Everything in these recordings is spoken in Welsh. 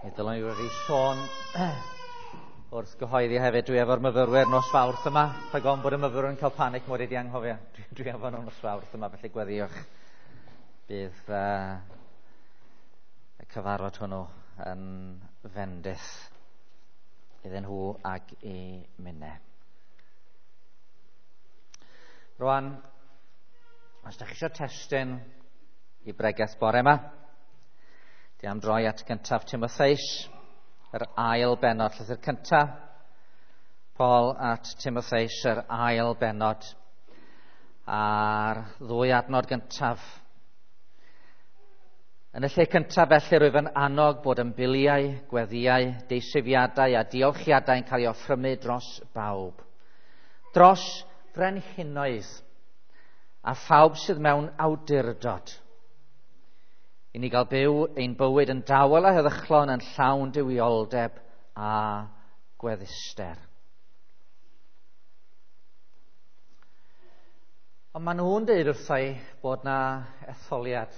Mi ddylwn i wedi sôn wrth gyhoeddi hefyd, dwi efo'r myfyrwyr nos Fawrth yma. Rhag ofn bod y myfyrwyr yn cael panic mod i wedi anghofio. Dwi efo nhw nos Fawrth yma, felly gweddïwch. Bydd y cyfarfod hwnnw yn fendith iddyn nhw ag i minne. Rwan, os ydych chi eisiau testun i bregeth bore yma, dwi am droi at gyntaf Timotheus, yr ail bennod, llythyr cyntaf Paul at Timotheus, yr ail bennod, a'r ddwy adnod gyntaf. Yn y lle cyntaf felly rwyf yn annog bod ymbiliau, gweddïau, deisyfiadau a diolchiadau yn cael ei offrymu dros bawb. Dros frenhinoedd a phawb sydd mewn awdurdod. I ni gael byw ein bywyd yn dawel a heddychlon yn llawn duwioldeb a gwedduster. Ond maen nhw'n dweud wrtha i bod na etholiad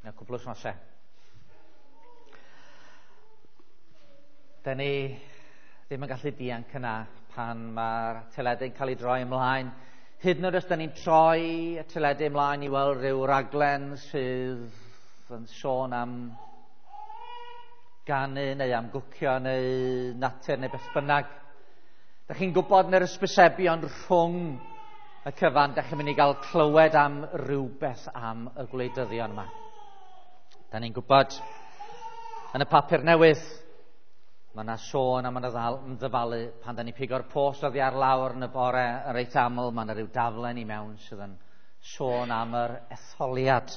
mewn cwpl o wythnosau. Da ni ddim yn gallu dianc yna pan mae'r teledu'n cael ei droi ymlaen. Hyd yn oed os da ni'n troi y teledu ymlaen i weld rhyw raglen sydd yn sôn am ganu neu am gwcio neu natur neu beth bynnag. Da chi'n gwybod yn yr ysbysebion rhwng y cyfan, da chi'n mynd i gael clywed am rhywbeth am y gwleidyddion yma. Da ni'n gwybod yn y papur newydd, mae yna sôn am ymddyfalu pan da ni'n pigo'r post oddi ar lawr yn y bore yn reit aml, mae yna rhyw daflen i mewn sydd yn sôn am yr etholiad.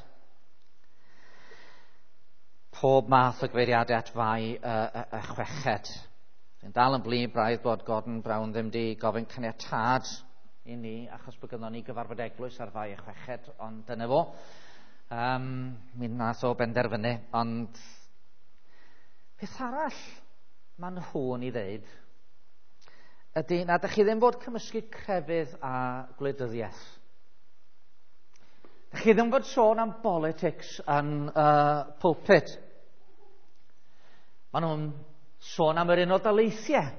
Pob math o gyfeiriadau at Fai y chweched. Dwi'n dal yn blin braidd bod Gordon Brown ddim di gofyn caniatâd i ni, achos bod gynnon ni gyfarfod eglwys ar Fai y chweched, ond dyna fo. Mi nath o benderfynu, ond peth arall maen nhw'n i ddeud ydy na ydych chi ddim fod cymysgu crefydd a gwleidyddiaeth. Ydych chi ddim fod sôn am politics yn pulpit. Maen nhw'n sôn am yr Unol Daleithiau.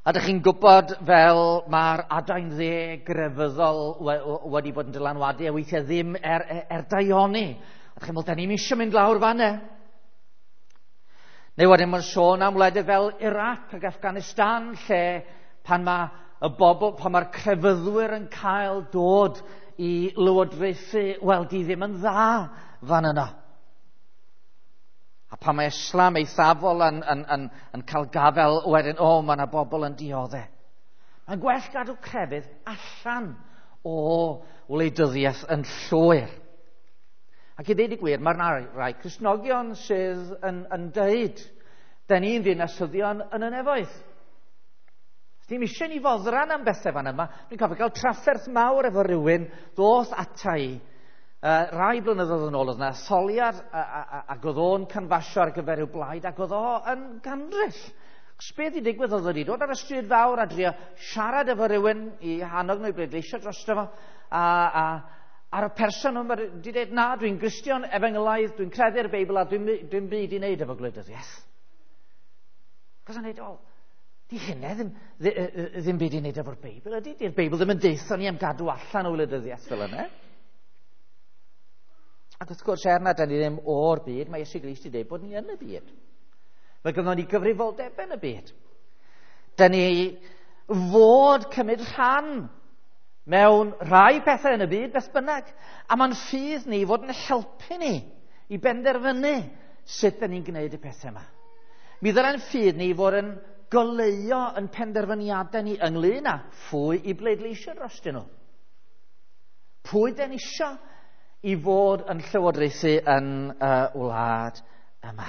A ydych chi'n gwybod fel mae'r adain dde grefyddol wedi bod yn dylanwadu a weithiau ddim er daioni. A ydych chi'n meddwl, da ni'n eisiau mynd lawr fan'na. Neu wedyn mae'n sôn am wledydd fel Iraq ac Afghanistan, lle pan mae y bobl, pan mae'r crefyddwyr yn cael dod i lywodraethu, wel, di ddim yn dda fan yna. A pan mae Islam eithafol yn cael gafel, wedyn, o, mae yna bobl yn dioddef. Mae'n gwell gadw crefydd allan o wleidyddiaeth yn llwyr. Ac i ddeud y gwir, mae'r rai Cristnogion sydd yn deud, da ni'n ddinasyddion yn y nefoedd. Dim eisiau ni foddran am bethau fan yma. Dwi'n cofio cael trafferth mawr efo rhywun ddoth ata i. Rai blynyddoedd yn ôl oedd yna etholiad ac oedd o'n canfasio ar gyfer rhyw blaid ac oedd o yn gandryll. Achos beth i digwydd oedd wedi dod ar y stryd fawr a drio siarad efo rhywun i hannog nhw i bleidleisio drosto fo a'r person yma wedi dweud, na, dwi'n Gristion efengylaidd, dwi'n credu'r Beibl a dwi'n byd i wneud efo gwleidyddiaeth. Cos o'n dweud, o, di hynna ddim byd i wneud efo'r Beibl, ydy? Di'r Beibl ddim yn deutho ni am gadw allan o wleidyddiaeth fel yna. Ac wrth gwrs, er na da ni ddim o'r byd, mae Iesu Grist wedi dweud bod ni yn y byd. Mae gynnon ni gyfrifoldeb yn y byd. Da ni fod cymryd rhan mewn rhai pethau yn y byd, beth bynnag. A mae'n ffydd ni fod yn helpu ni i benderfynu sut da ni'n gwneud y pethau yma. Mi ddyle'n ffydd ni fod yn goleuo yn penderfyniadau ni ynglyn â phwy i bleidleisio drostyn nhw. Pwy da ni isio i fod yn llywodraethu yn y wlad yma.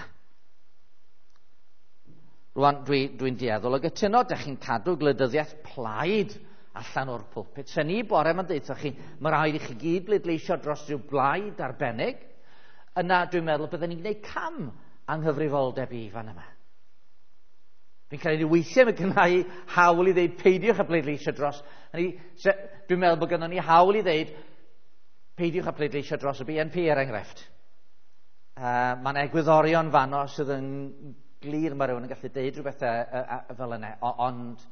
Rwan, dwi'n dueddol o gytuno, dych chi'n cadw gwleidyddiaeth plaid allan o'r pulpit. Se ni bore yma'n deutha chi, mae rhaid i chi gyd bleidleisio dros rhyw blaid arbennig, yna dwi'n meddwl byddwn ni'n gwneud cam anghyfrifoldeb i fan yma. Fi'n credu weithiau mae gynna i hawl i ddeud peidiwch â bleidleisio dros. Dwi'n meddwl bod gynnon ni hawl i ddeud peidiwch â pleidleisio dros y BNP er enghraifft. Mae'n egwyddorion fanno sydd yn glir, mae rhywun yn gallu deud rhywbeth fel yna, ond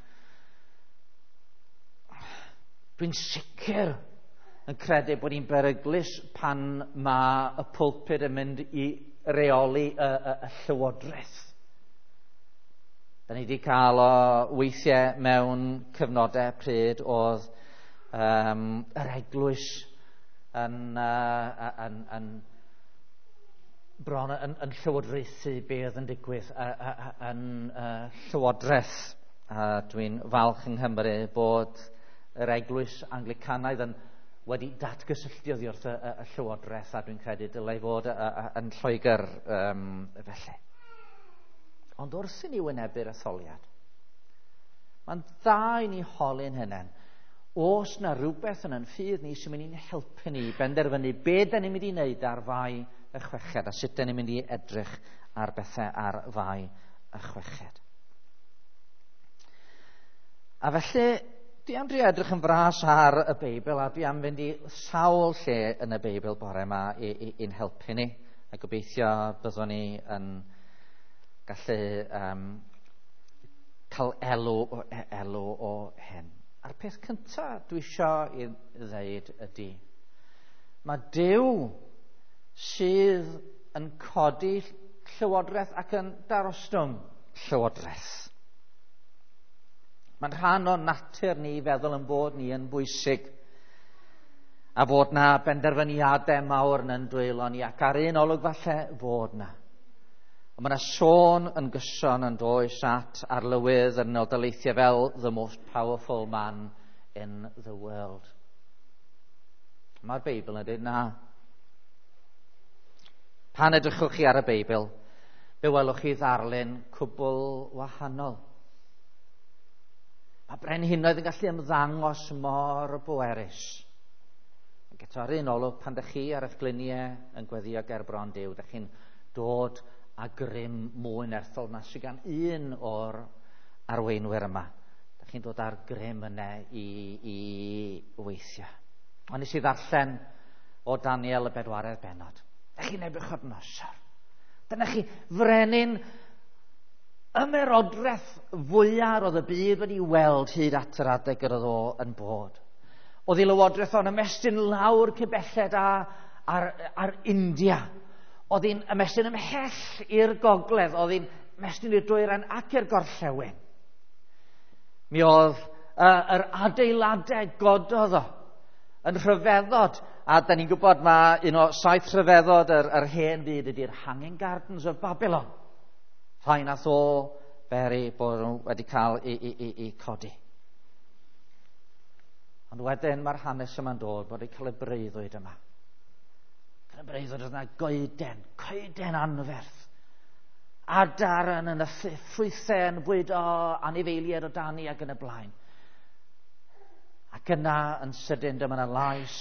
dwi'n sicr yn credu bod ni'n beryglus pan mae y pulpud yn mynd i reoli y llywodraeth. Da ni wedi cael o weithiau mewn cyfnodau pryd oedd yr eglwys yn bron yn llywodraethu be oedd yn digwydd yn llywodraeth. A dwi'n falch yng Nghymru bod yr eglwys Anglicanaidd yn wedi datgysylltu oddi wrth y llywodraeth, a dwi'n credu dylai fod yn Lloegr felly. Ond wrth i ni wynebu'r etholiad, mae'n dda i ni holi'n hunain, oes na rhywbeth yn ein ffydd ni sy'n mynd i'n helpu ni benderfynu be da ni'n mynd i wneud ar Fai y 6 a sut da ni'n mynd i edrych ar bethau ar Fai y 6. A felly, dwi am drio edrych yn fras ar y Beibl, a dwi am fynd i sawl lle yn y Beibl bore yma i'n helpu ni, a gobeithio byddwn ni yn gallu cael elw o hyn. A'r peth cyntaf dwi isio i ddeud ydy, mae Duw sydd yn codi llywodraeth ac yn darostwng llywodraeth. Mae'n rhan o natur ni i feddwl yn bod ni yn bwysig a fod na benderfyniadau mawr yn dwylo ni, ac ar un olwg falle fod na. Ond mae yna sôn yn gyson yn does at arlywydd yr Unol Daleithiau fel the most powerful man in the world. Mae'r Beibl yn dweud na. Pan edrychwch chi ar y Beibl, fe welwch chi ddarlun cwbl wahanol. Mae brenhinoedd yn gallu ymddangos mor bwerus. Ac eto ar un olwg, pan ydych chi ar eich gliniau yn gweddio ger bron Duw, ydych chi'n dod a grym mwy nerthol na sydd gan un o'r arweinwyr yma. Ydych chi'n dod â'r grym yna i weithio. Ond nes i ddarllen o Daniel y 4 bennod. Ydych chi'n Nebuchadnezzar. Dyna chi frenin ymerodraeth fwyaf oedd y byd wedi weld hyd at yr adeg yr oedd o yn bod. Oedd ei lywodraeth o'n ymestyn lawr cybelled ar India. Oedd hi'n ymestyn ymhell i'r gogledd, oedd hi'n ymestyn i'r dwyrain ac i'r gorllewin. Mi oedd yr adeiladau gododd o yn rhyfeddod, a da ni'n gwybod mae un o 7 rhyfeddod yr hen fyd ydy'r Hanging Gardens of Babylon. Rhai nath o beri bod nhw wedi cael i codi. Ond wedyn mae'r hanes yma'n dod bod wedi cael y breuddwyd yma. Cael y breuddwyd oedd yna coeden anferth. Adar yn nythu, ffrwythau yn bwydo anifeiliaid o dani ac yn y blaen. Ac yna yn sydyn dyma yna lais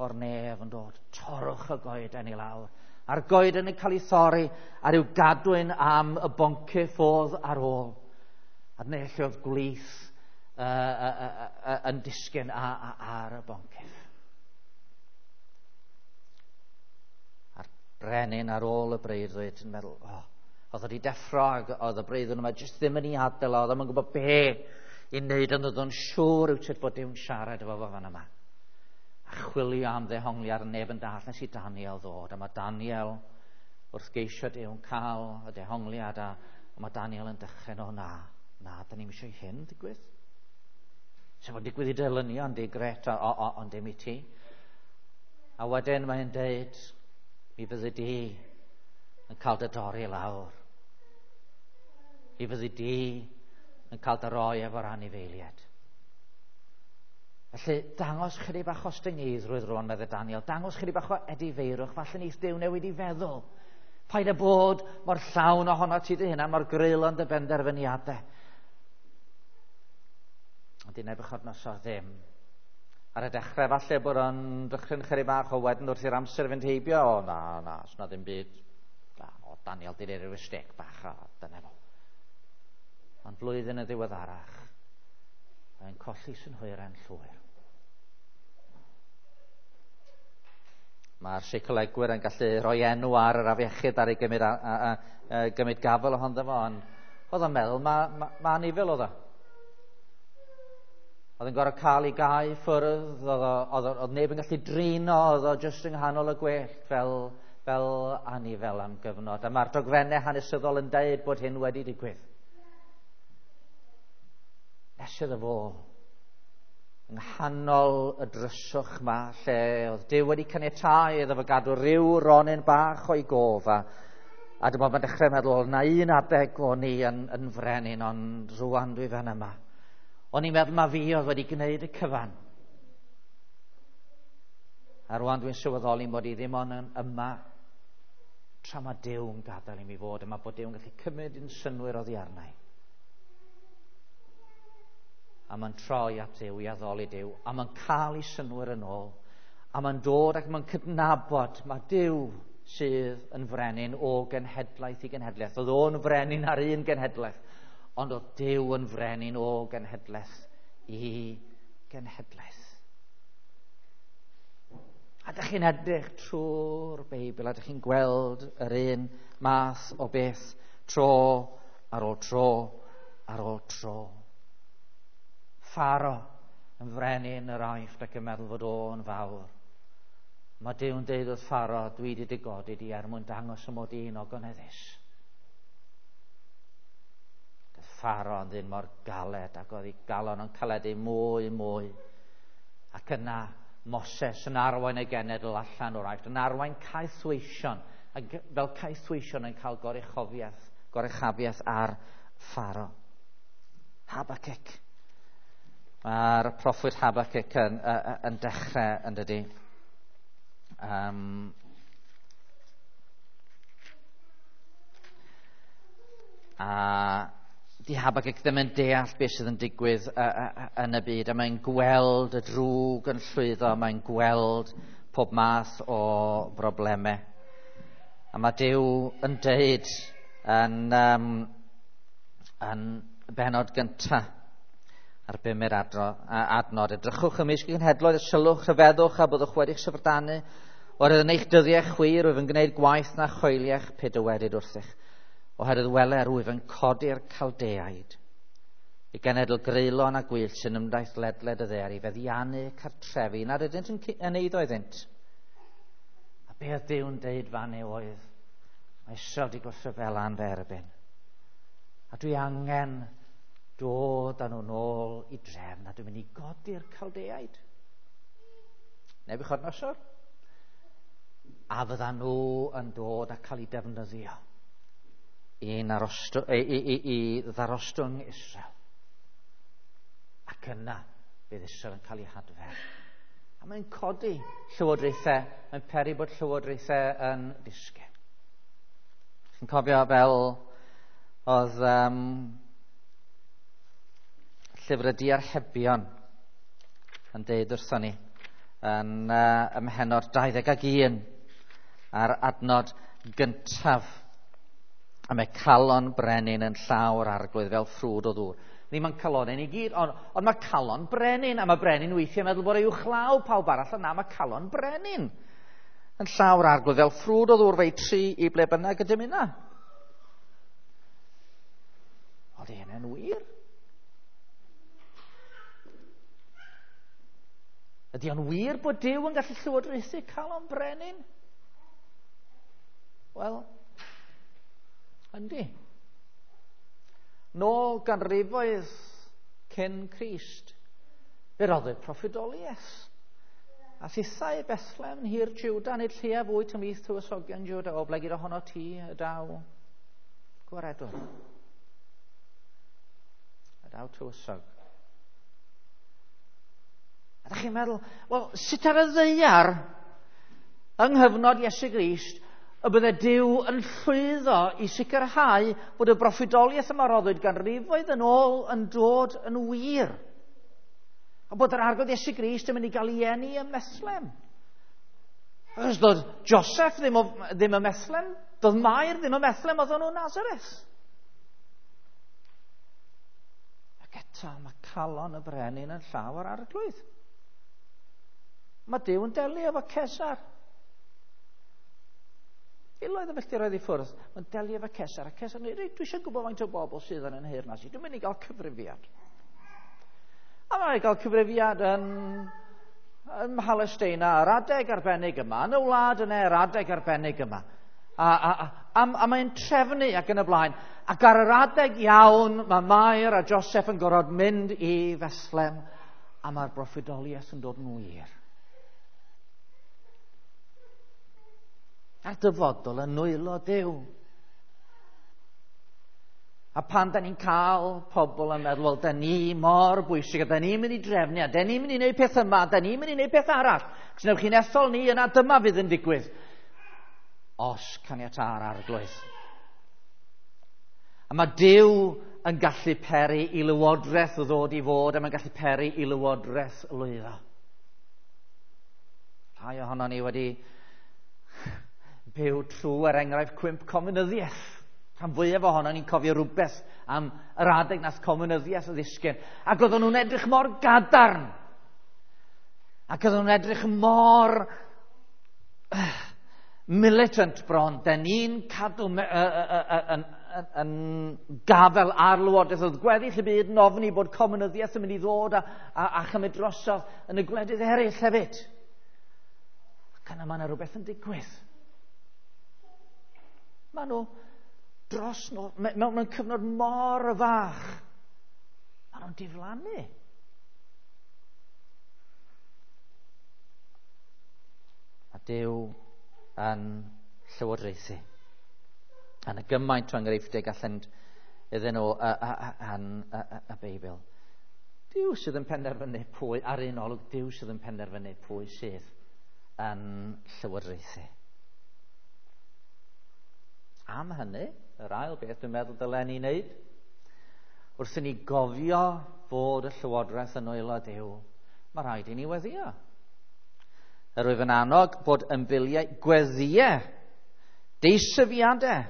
o'r nef yn dod. Torrwch y goeden i lawr. A'r goeden yn cael ei thorri a rhyw gadwyn am y boncyff oedd ar ôl. A dyna lle oedd gwlith yn disgyn ar y boncyff. A'r brenin ar ôl y breuddwyd yn meddwl, oedd wedi deffro ac oedd y breuddwyd yma jyst ddim yn ei adael, oedd ddim yn gwybod be i wneud, ond oedd o'n siŵr rywsut bod Duw'n siarad efo fo fan yma. A chwilio am ddehongliad neb yn dall nes i Daniel ddod. A mae Daniel wrth geisio Duw'n cael y dehongliad, a mae Daniel yn dechrau, o na, da ni'n eisiau hyn digwydd. Sef o'n digwydd i delynion, di gret, ond dim i ti. A wedyn mae'n deud, mi fyddi di yn cael dy dorri lawr. Mi fyddi di yn cael dy roi efo'r anifeiliaid. Felly, dangos chydig bach o ostyngeidrwydd rwan, meddai Daniel. Dangos chydig bach o edifeirwch. Falle neith Duw newid i feddwl. Paid â bod mor llawn ohono ti dy hunan, mor greulon dy benderfyniadau. Ond i Nebuchadnezzar ddim. Ar y dechrau, falle bod o'n dychryn chydig bach o wedyn wrth i'r amser fynd heibio. O, na, sna ddim byd. Na, o, Daniel di neud rhyw mistake bach, o, dyna fo. Ond blwyddyn yn ddiweddarach, mae'n colli synhwyrau'n llwyr. Mae'r seicolegwyr yn gallu rhoi enw ar yr afiechyd ar ei gymryd, gymryd gafel ohono fo, ond oedd o'n meddwl, ma anifel oedd o. Oedd yn gorfod cael ei gau ffwrdd, oedd neb yn gallu drino, oedd o jyst yng nghanol y gwellt fel anifel am gyfnod. A mae'r dogfennau hanesyddol yn deud bod hyn wedi digwydd. Nes iddo fo, yng nghanol y dryswch ma, lle oedd Duw wedi caniatáu iddo fo gadw rhyw ronyn bach o'i gof, a dyma fo'n dechrau meddwl, na un adeg o'n i yn frenin, ond rwan dwi fan yma. O'n i'n meddwl ma fi oedd wedi gwneud y cyfan. A rwan dwi'n sylweddoli mod i ddim ond yn yma tra mae Duw yn gadael i mi fod yma, bod Duw yn gallu cymryd yn synnwyr oddi arna i. A mae'n troi at Duw i addoli Duw, a mae'n cael ei synnwyr yn ôl, a mae'n dod ac mae'n cydnabod mae Duw sydd yn frenin o genhedlaeth i genhedlaeth. Oedd o'n frenin ar un genhedlaeth, ond oedd Duw yn frenin o genhedlaeth i genhedlaeth. A dych chi'n edrych trwy'r Beibl, a dych chi'n gweld yr un math o beth tro ar ôl tro ar ôl tro. Pharo yn frenin yr Aifft ac yn meddwl fod o'n fawr. Mae Duw'n deud wrth Pharo, dwi wedi dy godi di er mwyn dangos y mod i'n ogoneddus. Doedd Pharo yn ddyn mor galed ac oedd ei galon yn caledu mwy mwy. Ac yna Moses yn arwain y genedl allan o'r Aifft, yn arwain caethweision, ac fel caethweision yn cael goruchafiaeth ar Pharo. Habakkuk. Mae'r proffwyd Habakkuk yn dechrau, yn dydi. A di Habakkuk ddim yn deall beth sydd yn digwydd yn y byd, a mae'n gweld y drwg yn llwyddo, mae'n gweld pob math o broblemau. A mae Duw yn deud yn benod gyntaf ar bumed adnod, edrychwch ymysg y genhedloedd, sylwch, rhyfeddwch a byddwch wedi'ch syfrdanu, oherwydd yn eich dyddiau chwi rwyf yn gwneud gwaith na choeliech pe dywedid wrthych. Oherwydd wele rwyf yn codi'r Caldeaid, i genedl greulon a gwyllt sy'n ymdaith ledled y ddaear i feddiannu cartrefi nad ydynt yn eiddo iddynt. A be oedd Duw'n deud fan yw oedd, mae Israel wedi gwrthryfela yn fy erbyn. A dwi angen dod â nhw nôl i drefn, a dwi'n mynd i godi'r Caldeaid. Nebiwchodynosor. A fydda nhw yn dod a cael eu defnyddio i ddarostwng Israel. Ac yna bydd Israel yn cael ei hadfer. A mae'n codi llywodraethau, mae'n peri bod llywodraethau yn disgyn. Chi'n cofio fel oedd llyfr y diarhebion yn deud wrthon ni yn ym mhennod 21 a'r adnod gyntaf. A mae calon brenin yn llaw'r arglwydd fel ffrwd o ddŵr. Ddim yn calonau ni gyd, ond mae calon brenin, a mae brenin weithiau meddwl bod ei uwchlaw pawb arall, ond na, mae calon brenin yn llaw'r arglwydd fel ffrwd o ddŵr fe'i tri i ble bynnag y dymuna. Oedd hynny'n wir? Ydy o'n wir bod Duw yn gallu llywodraethu calon brenin? Wel, yndi. Nôl ganrifoedd cyn Crist, fe roddwyd proffwydoliaeth. A thithau Bethlehem hir Juda, nid lleia fwy ymhlith tywysogion Juda, o blegid ohono ti y daw gwaredwr. Y daw tywysog. A ydych chi'n meddwl, wel, sut ar y ddaear yng nghyfnod Iesu Grist y bydde Duw yn llwyddo i sicrhau bod y broffwydoliaeth yma roddwyd ganrifoedd yn ôl yn dod yn wir? A bod yr Arglwydd Iesu Grist yn mynd i gael ei eni ym Methlehem. Achos doedd Joseph ddim ym Methlehem, doedd Mair ddim ym Methlehem, oedden nhw'n Nazareth. Ac eto mae calon y brenin yn llaw yr Arglwydd. Mae Duw yn delio efo Cesar. Miloedd o filltiroedd i ffwrdd, mae'n delio efo Cesar, a Cesar yn dweud, dwi eisiau gwybod faint o bobl sydd yn yn nheyrnas i, dwi'n mynd i gael cyfrifiad. A mae'n gael cyfrifiad yn Mhalesteina, yr adeg arbennig yma, yn y wlad yna, yr adeg arbennig yma. A mae'n trefnu ac yn y blaen. Ac ar yr adeg iawn, mae Mair a Joseph yn gorfod mynd i Fethlem, a mae'r broffwydoliaeth yn dod yn wir. A'r dyfodol yn nwylo Duw. A pan da ni'n cael pobl yn meddwl, wel, da ni mor bwysig, a da ni'n mynd i drefnu, a da ni'n mynd i wneud peth yma, a da ni'n mynd i wneud peth arall. Cos newch chi'n ethol ni, yna dyma fydd yn digwydd. Os caniata'r Arglwydd. A mae Duw yn gallu peri i lywodraeth ddod i fod, a mae'n gallu peri i lywodraeth lwyddo. Rhai ohonon ni wedi byw trwy, er enghraifft, cwymp comunyddiaeth. Rhan fwyaf ohonon ni'n cofio rhywbeth am yr adeg nath comunyddiaeth ddisgyn. Ac oedden nhw'n edrych mor gadarn. Ac oedden nhw'n edrych mor militant bron. Den ni'n cadw yn gafel ar lywodraeth. Oedd gweddill y byd yn ofni bod comunyddiaeth yn mynd i ddod a chymryd drosodd yn y gwledydd eraill hefyd. Ac yna mae yna rhywbeth yn digwydd. Mae nhw dros nhw, mewn cyfnod mor fach, mae nhw'n diflannu. A Duw yn llywodraethu. A yna gymaint o enghreifftiau gallen iddyn nhw yn y Beibl. Duw sydd yn penderfynu pwy, ar un olwg, Duw sydd yn penderfynu pwy sydd yn llywodraethu. Am hynny, yr ail beth dwi'n meddwl dylen ni wneud, wrth i ni gofio fod y llywodraeth yn nwylo Duw, mae rhaid i ni weddïo. Yr wyf yn annog bod ymbiliau gweddïau, deisyfiadau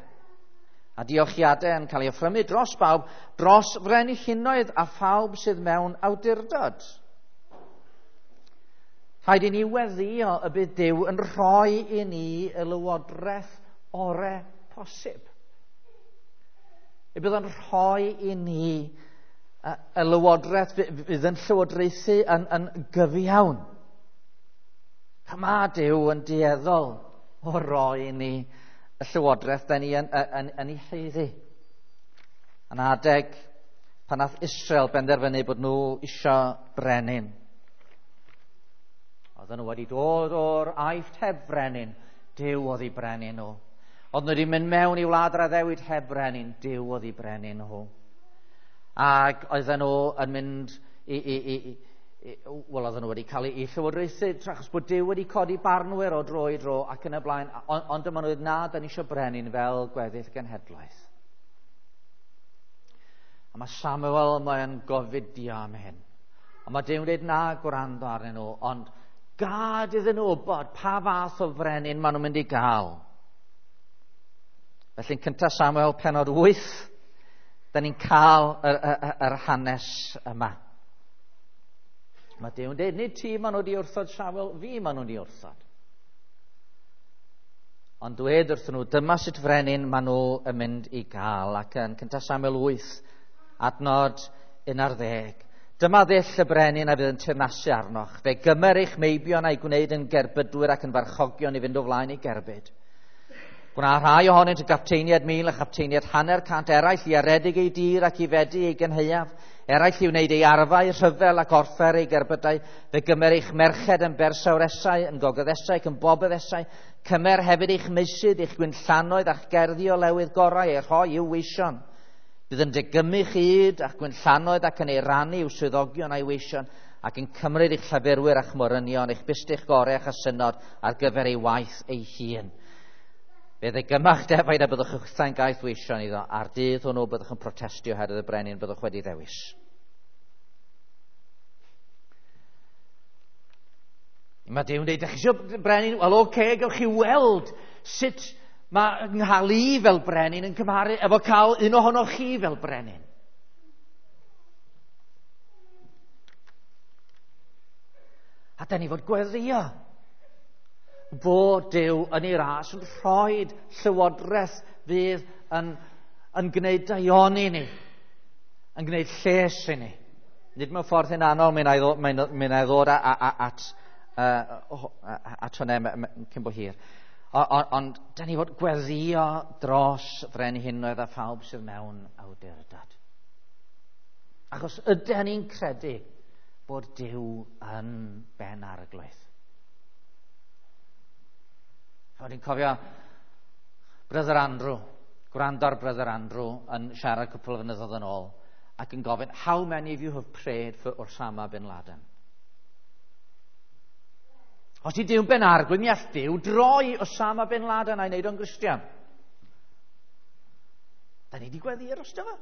a diolchiadau yn cael ei offrymu dros bawb, dros frenhinoedd a phawb sydd mewn awdurdod. Rhaid i ni weddïo y bydd Duw yn rhoi i ni y lywodraeth orau posib. Y bydd yn rhoi i ni y lywodraeth fydd yn llywodraethu yn gyfiawn. Mae Duw yn dueddol o roi i ni y llywodraeth da ni yn ei haeddu. Yn adeg pan nath Israel benderfynu bod nhw isio brenin. Oedden nhw wedi dod o'r Aifft heb frenin, Duw oedd eu brenin nhw. Oedden nhw wedi mynd mewn i wlad yr addewid heb brenin, Duw oedd eu brenin nhw. Ac oedden nhw yn mynd wel, oedden nhw wedi cael eu llywodraethu, achos bod Duw wedi codi barnwyr o dro i dro ac yn y blaen, ond dyma nhw dweud, na, da ni eisiau brenin fel gweddill genhedlaeth. A mae Samuel, mae'n gofidio am hyn. A mae Duw'n dweud, na, gwrando arnyn nhw, ond gad iddyn nhw wybod pa fath o frenin maen nhw'n mynd i gael. Felly'n cyntaf Samuel penod 8, da ni'n cael yr hanes yma. Mae Duw'n dweud, nid ti maen nhw wedi wrthod Samuel, fi maen nhw wedi wrthod. Ond dweud wrthyn nhw, dyma sut frenin maen nhw yn mynd i gael. Ac yn cyntaf Samuel 8, adnod 11. Dyma ddull y brenin a fydd yn teyrnasu arnoch. Fe gymer eich meibion a'i gwneud yn gerbydwyr ac yn farchogion i fynd o flaen ei gerbyd. Gwna rhai ohonynt yn gapteiniad 1,000 a chapteiniad 150, eraill i aredig ei dir ac i fedu ei gynhaeaf, eraill i wneud ei arfau rhyfel ac orffer ei gerbydau. Fe gymer eich merched yn bersawresau, yn gogyddesau ac yn bobyddesau. Cymer hefyd eich meysydd, eich gwinllannoedd a'ch gerddi o lewydd gorau, eu rhoi i'w weision. Bydd yn degymu chyd a'ch gwinllannoedd ac yn ei rannu i'w swyddogion a'i weision, ac yn cymryd eich llafurwyr a'ch morynion, eich bustych gorau a'ch asynod ar gyfer ei waith ei hun. Fe ddegymach defaid a byddwch chwithau'n gaeth weision iddo, a'r dydd hwnnw byddwch yn protestio oherwydd y brenin byddwch wedi ddewis. Mae Duw'n dweud, ydych chi eisiau brenin? Wel, oce, gewch chi weld sut mae nghael i fel brenin yn cymharu efo cael un ohonoch chi fel brenin. A da ni fod gweddïo. Bod Duw yn ei ras yn rhoi llywodraeth fydd yn gwneud daioni ni, yn gwneud lles i ni. Nid mewn ffordd hunanol, mi wna i ddod at hwnna cyn bo hir. Ond da ni fod gweddio dros frenhinoedd a phawb sydd mewn awdurdod. Achos ydyn ni'n credu bod Duw yn ben arglwydd. O'n i'n cofio Brother Andrew, gwrando ar Brother Andrew yn siarad cwpl o flynyddoedd yn ôl, ac yn gofyn, "How many of you have prayed for Osama bin Laden?" Os 'di Duw'n ben arglwydd, mi all Duw droi Osama bin Laden a'i wneud o'n Gristion. Da ni wedi gweddio drosto fo.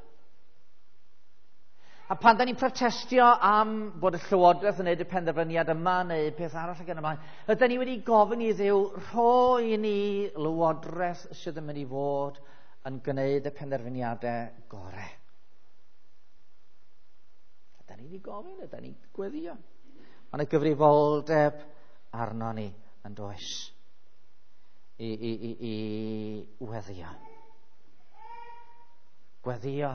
A pan da ni'n protestio am bod y llywodraeth yn gwneud y penderfyniad yma neu peth arall ac yn y blaen, ydyn ni wedi gofyn i Dduw rhoi i ni lywodraeth sydd yn mynd i fod yn gwneud y penderfyniadau gorau? Ydyn ni wedi gofyn, ydyn ni'n gweddio? Mae yna gyfrifoldeb arno ni yn does i weddio. Gweddio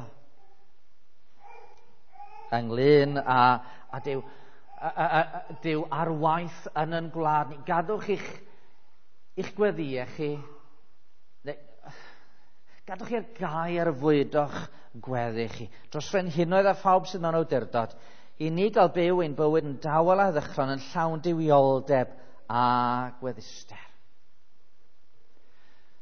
ynglyn â Duw, Duw ar waith yn gwlad ni. Gadwch i'ch gweddïau chi, neu, gadwch i'r gair fwydo'ch gweddi chi. Dros frenhinoedd a phawb sydd mewn awdurdod, i ni gael byw ein bywyd yn dawel a heddychlon, yn llawn duwioldeb a gwedduster.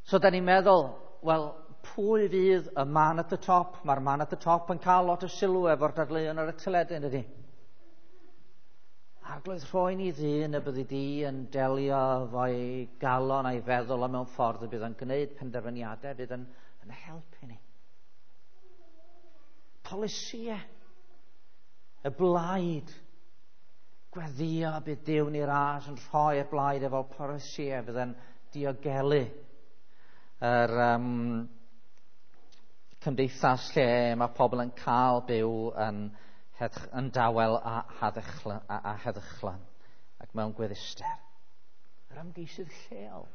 So da ni'n meddwl, wel, pwy fydd y man at the top? Mae'r man at the top yn cael lot o sylw efo'r dadleuon ar y teledu, yn dydy? Arglwydd, rhoi ni ddyn y byddi di yn delio efo'i galon a'i feddwl a mewn ffordd y bydd yn gwneud penderfyniadau fydd yn helpu ni. Polisïau, y blaid, gweddio bydd Duw yn ei ras yn rhoi'r blaid efo polisïau fydd yn diogelu yr cymdeithas lle mae pobl yn cael byw yn dawel a heddychlon ac mewn gwedduster. Yr ymgeisydd lleol.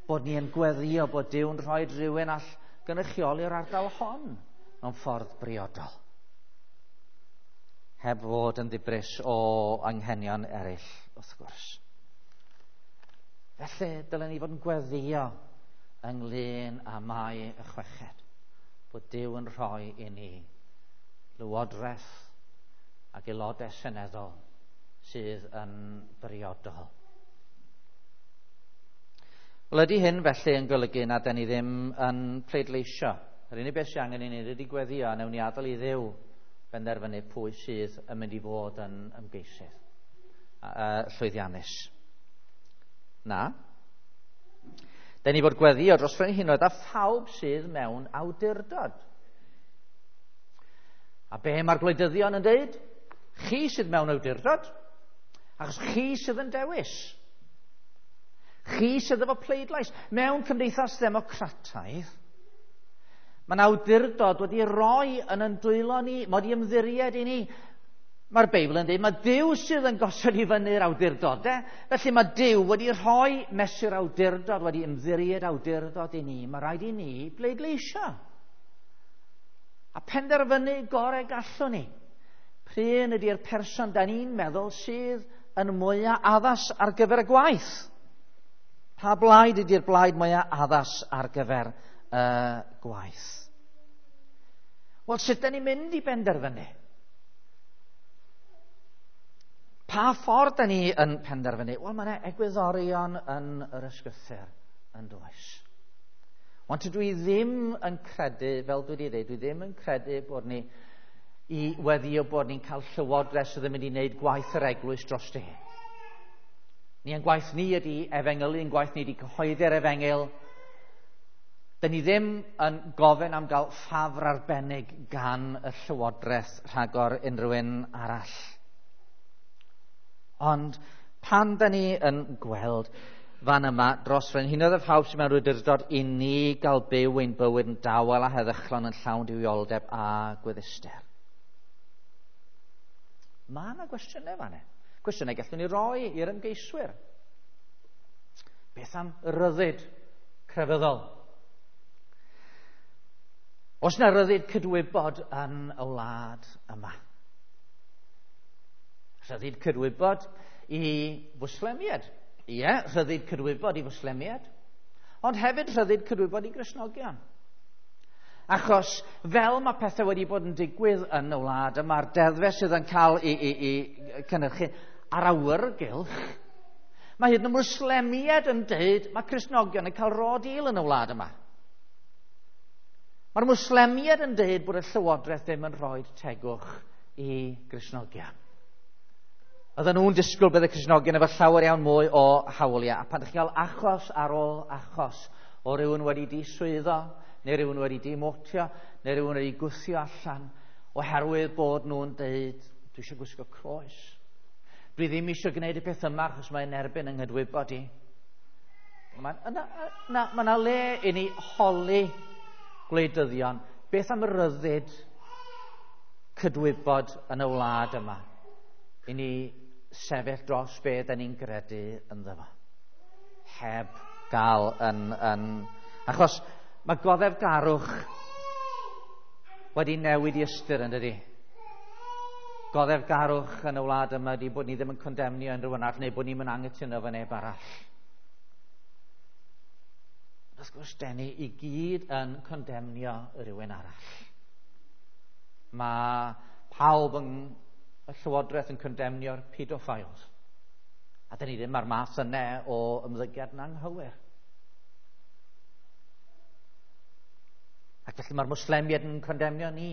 Bod ni yn gweddio bod Duw'n rhoi rhywun all gynrychioli'r ardal hon mewn ffordd briodol. Heb fod yn ddibris o anghenion eraill, wrth gwrs. Felly, dylen ni fod yn gweddio ynglyn â Mai y 6, bod Duw yn rhoi i ni lywodraeth ac aelodau seneddol sydd yn briodol. Wel, ydy hyn felly yn golygu na da ni ddim yn pleidleisio? Yr unig beth sy'n angen i ni ydy gweddio, a newn ni adael i Dduw benderfynu pwy sydd yn mynd i fod yn ymgeisydd llwyddiannus. Na. Da ni fod gweddio dros frenhinoedd a phawb sydd mewn awdurdod. A be mae'r gwleidyddion yn dweud? Chi sydd mewn awdurdod, achos chi sydd yn dewis. Chi sydd efo pleidlais. Mewn cymdeithas ddemocrataidd, mae'n awdurdod wedi roi yn dwylo ni, mae wedi ymddiried i ni. Mae'r Beibl yn dweud, mae Duw sydd yn gosod i fyny'r awdurdodau. Felly mae Duw wedi rhoi mesur awdurdod, wedi ymddiried awdurdod i ni. Mae rhaid i ni bleidleisio. A penderfynu gorau gallwn ni. Pryn ydy'r person da ni'n meddwl sydd yn mwyaf addas ar gyfer y gwaith? Pa blaid ydy'r blaid mwyaf addas ar gyfer y gwaith? Wel, sut da ni'n mynd i benderfynu? Pa ffordd da ni yn penderfynu? Wel, mae yna egwyddorion yn yr ysgrythur yn does. Ond dydw i ddim yn credu, fel dwi wedi dweud, dwi ddim yn credu bod ni i weddio bod ni'n cael llywodraeth sydd yn mynd i wneud gwaith yr eglwys dros hi. Ni yn gwaith ni ydy efengylu, yn gwaith ni ydy cyhoeddi'r efengyl. Da ni ddim yn gofyn am gael ffafr arbennig gan y llywodraeth rhagor unrhyw un arall. Ond pan da ni yn gweld fan yma dros frenhinoedd a phawb sydd mewn awdurdod i ni gael byw ein bywyd yn dawel a heddychlon yn llawn duwioldeb a gwedduster. Mae yna gwestiynau fan hyn. Cwestiynau gallwn ni roi i'r ymgeiswyr. Beth am ryddid crefyddol? Oes 'na ryddid cydwybod yn y wlad yma? Rhyddid cydwybod i Fwslemiaid. Ie, rhyddid cydwybod i Fwslemiaid. Ond hefyd rhyddid cydwybod i Gristnogion. Achos fel mae pethau wedi bod yn digwydd yn y wlad yma'r deddfau sydd yn cael ei cynhyrchu ar awyrgylch, mae hyd yn oed Mwslemiaid yn deud mae Cristnogion yn cael raw deal yn y wlad yma. Mae'r Mwslemiaid yn deud bod y Llywodraeth ddim yn rhoi tegwch i Gristnogion. Oedden nhw'n disgwyl bydd y Cristnogion efo llawer iawn mwy o hawliau. A pan ydych chi'n cael achos ar ôl achos o rywun wedi diswyddo, neu rywun wedi demotio, neu rywun wedi gwthio allan, oherwydd bod nhw'n deud, dwi eisiau gwisgo croes. Dwi ddim eisiau gwneud y peth yma achos mae'n erbyn yng nghydwybod i. Mae yna le i ni holi gwleidyddion. Beth am ryddid cydwybod yn y wlad yma? I ni sefyll dros be da ni'n gredu ynddo fo. Heb gael yn... Achos mae goddefgarwch wedi newid i ystyr yn dydi? Goddefgarwch yn y wlad yma ydy bod ni ddim yn condemnio unrhyw un arall neu bod ni'n mynd anghytuno efo neb arall. Wrth gwrs, den ni i gyd yn condemnio rhywun arall. Mae pawb yn y Llywodraeth yn condemnio'r pedophiles. A dyn ni ddim ar math yna o ymddygiad yn anghywir. Ac felly mae'r Mwslemiaid yn condemnio ni,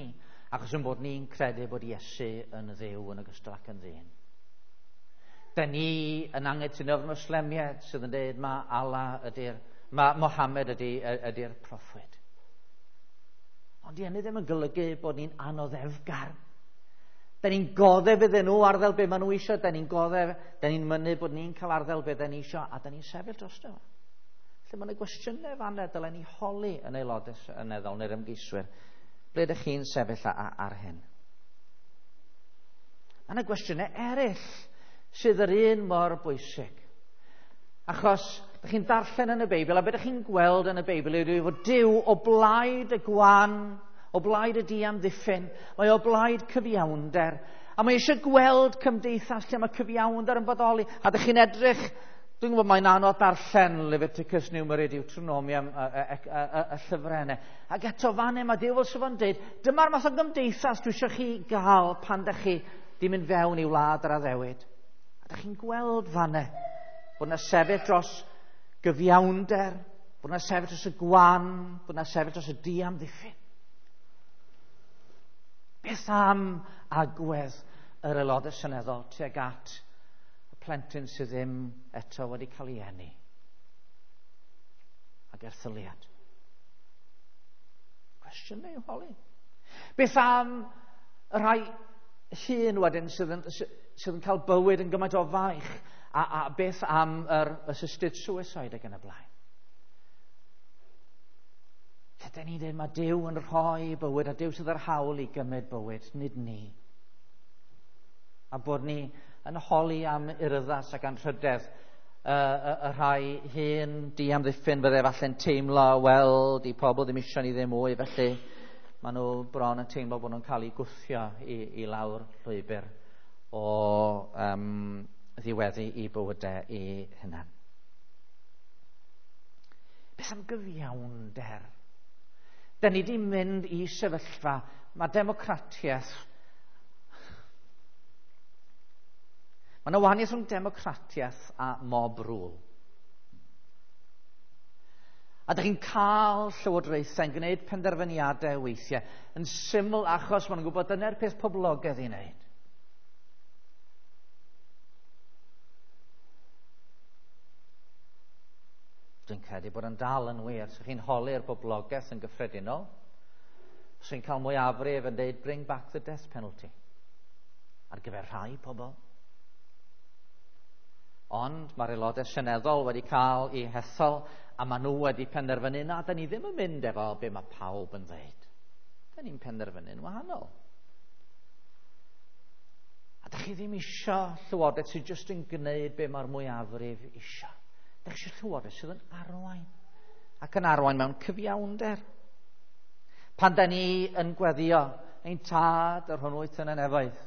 achos yn bod ni'n credu bod Iesu yn Dduw yn ogystal ac yn ddyn. Dyn ni yn anghytuno efo'r Mwslemiaid sydd yn dweud mae Allah ydy'r, mae Mohammed ydy'r proffwyd. Ond di hynny ddim yn golygu bod ni'n anoddefgar. Da ni'n goddef iddyn nhw arddel be maen nhw eisiau, da ni'n goddef, da ni'n mynnu bod ni'n cael arddel be da ni eisiau, a da ni'n sefyll drosto. Felly mae yna gwestiynau fanna dylen ni holi yn aelodau seneddol neu'r ymgeiswyr. Ble ydych chi'n sefyll ar hyn? Mae yna gwestiynau eraill sydd yr un mor bwysig. Achos ydych chi'n darllen yn y Beibl, a beth ydych chi'n gweld yn y Beibl yw fod Duw o blaid y gwan, o blaid y diamddiffyn, mae o blaid cyfiawnder, a mae eisiau gweld cymdeithas lle mae cyfiawnder yn bodoli. A ydych chi'n edrych, dwi'n gwybod mae'n anodd darllen Leviticus, Numeri, Deuteronomium, y llyfrennau. Ac eto fan mae Duw fel sydd yn dweud, dyma'r math o gymdeithas dwi eisiau chi gael pan ydych chi di mynd fewn i wlad yr addewid. A ydych chi'n gweld fan bod yna sefyll dros gyfiawnder, bod yna sefyll dros y gwan, bod yna sefyll dros y diamddiffyn. Beth am agwedd yr aelodau seneddol tuag at y plentyn sydd ddim eto wedi cael ei eni? Ac erthyliad. Cwestiynau i'w holi. Beth am y rhai hŷn wedyn sydd yn cael bywyd yn gymaint o faich? A beth am yr assisted suicide ac yn y blaen? Lle dyn ni'n dweud mae Duw yn rhoi bywyd a Duw sydd â'r hawl i gymryd bywyd, nid ni. A bod ni yn holi am urddas ac anrhydedd y rhai hyn diamddiffyn fydde falle'n teimlo, wel, di pobl ddim eisiau ni ddim mwy, felly maen nhw bron yn teimlo bod nhw'n cael eu gwthio i lawr llwybr o ddiweddu i bywydau i hunan. Beth am gyfiawnder? Da ni wedi mynd i sefyllfa, mae democratiaeth. Mae yna wahaniaeth rhwng democratiaeth a mob rule. A dych chi'n cael llywodraethau yn gwneud penderfyniadau weithiau yn syml achos maen nhw'n gwybod dyna'r peth poblogaidd i wneud. Dwi'n credu bod yn dal yn wir. So chi'n holi'r boblogaeth yn gyffredinol, so chi'n cael mwyafrif yn dweud bring back the death penalty ar gyfer rhai pobl. Ond mae'r aelodau seneddol wedi cael eu hethol a maen nhw wedi penderfynu na, da ni ddim yn mynd efo be mae pawb yn dweud. Da ni'n penderfynu'n wahanol. A da chi ddim isio llywodraeth sydd jyst yn gwneud be mae'r mwyafrif isio. Dych chi eisiau llywodraeth sydd yn arwain, ac yn arwain mewn cyfiawnder. Pan da ni yn gweddio, ein tad yr hwn wyt yn y nefoedd.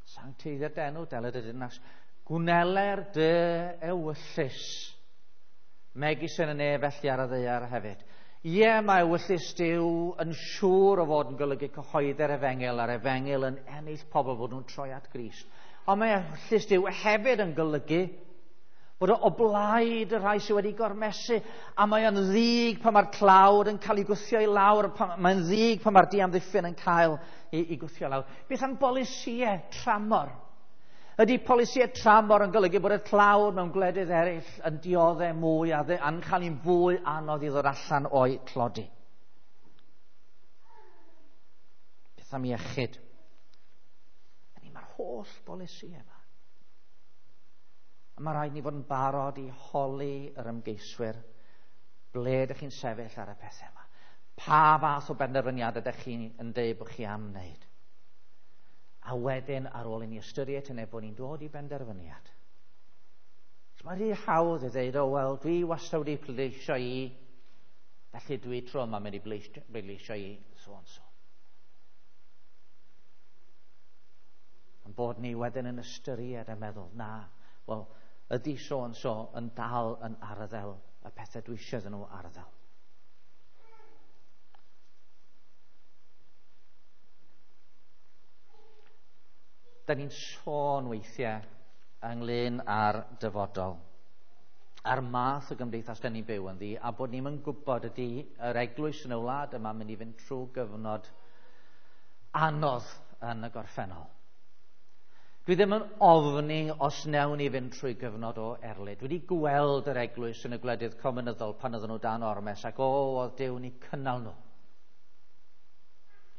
Sancteiddier d'enw, deled y dirnas. Gwneler dy ewyllys, megis yn y nef felly ar y ddaear hefyd. Ie, mae ewyllys Duw yn siŵr o fod yn golygu cyhoeddi'r efengyl, a'r efengyl yn ennill pobl fod nhw'n troi at Grist. Ond mae ewyllys Duw hefyd yn golygu bod o blaid y rhai sydd wedi gormesu, a mae o'n ddig pan mae'r tlawd yn cael ei gwthio i lawr, mae'n ddig pan mae'r diamddiffyn yn cael ei gwthio i lawr. Beth am bolisïau tramor? Ydy polisïau tramor yn golygu bod y tlawd mewn gwledydd eraill yn dioddef mwy a yn cael ein fwy anodd i ddod allan o'i tlodi? Beth am iechyd? Mae'r holl bolisïau yma. A mae rhaid ni fod yn barod i holi yr ymgeiswyr ble ydych chi'n sefyll ar y pethau yma. Pa fath o benderfyniadau ydych chi'n yn dweud bod chi am wneud? A wedyn, ar ôl i ni ystyried hynny, bod ni'n dod i benderfyniad. So mae'n rhy hawdd i dweud, o wel, dwi wastad wedi pleidleisio i, felly dwi tro yma mynd i bleidleisio i so and so. Ond bod ni wedyn yn ystyried a meddwl, na, wel, ydy so and so yn dal yn arddel y pethau dwi eisiau iddyn nhw arddel. Da ni'n sôn weithiau ynglyn â'r dyfodol, a'r math o gymdeithas da ni'n byw ynddi, a bod ni'n yn gwybod ydy yr eglwys yn y wlad yma mynd i fynd trwy gyfnod anodd yn y gorffennol. Dwi ddim yn ofni os newn ni fynd trwy gyfnod o erlid. Dwi wedi gweld yr eglwys yn y gwledydd cominyddol pan oedden nhw dan ormes, ac oedd Duw ni cynnal nhw.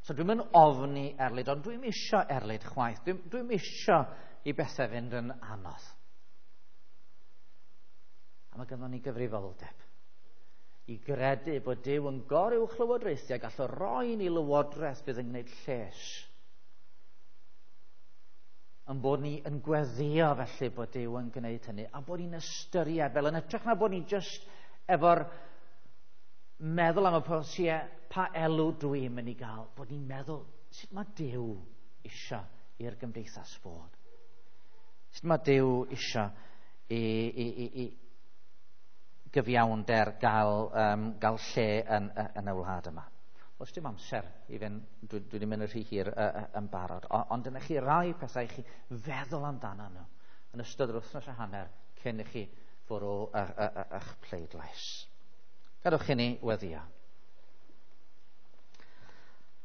So dwi'm yn ofni erlid, ond dwi'm isio erlid chwaith. Dwi'm isio i bethau fynd yn anodd. A mae gynnon ni gyfrifoldeb i gredu bod Duw yn goruwch lywodraethu a gall o roi ni lywodraeth bydd yn gwneud lles. Yn bod ni yn gweddio felly bod Duw yn gwneud hynny, a bod ni'n ystyried fel yn hytrach na bod ni jyst efo'r meddwl am y polisïau, pa elw dwi'n mynd i gael, bod ni'n meddwl sut mae Duw isio i'r gymdeithas fod. Sut mae Duw isio i gyfiawnder gael lle yn y wlad yma. Oes dim amser i fynd, dwi wedi mynd yn rhy hir yn barod, ond dyna chi rai pethau i chi feddwl amdano nhw yn ystod yr wythnos a hanner cyn i chi fwrw eich pleidlais. Gadewch i ni weddïo.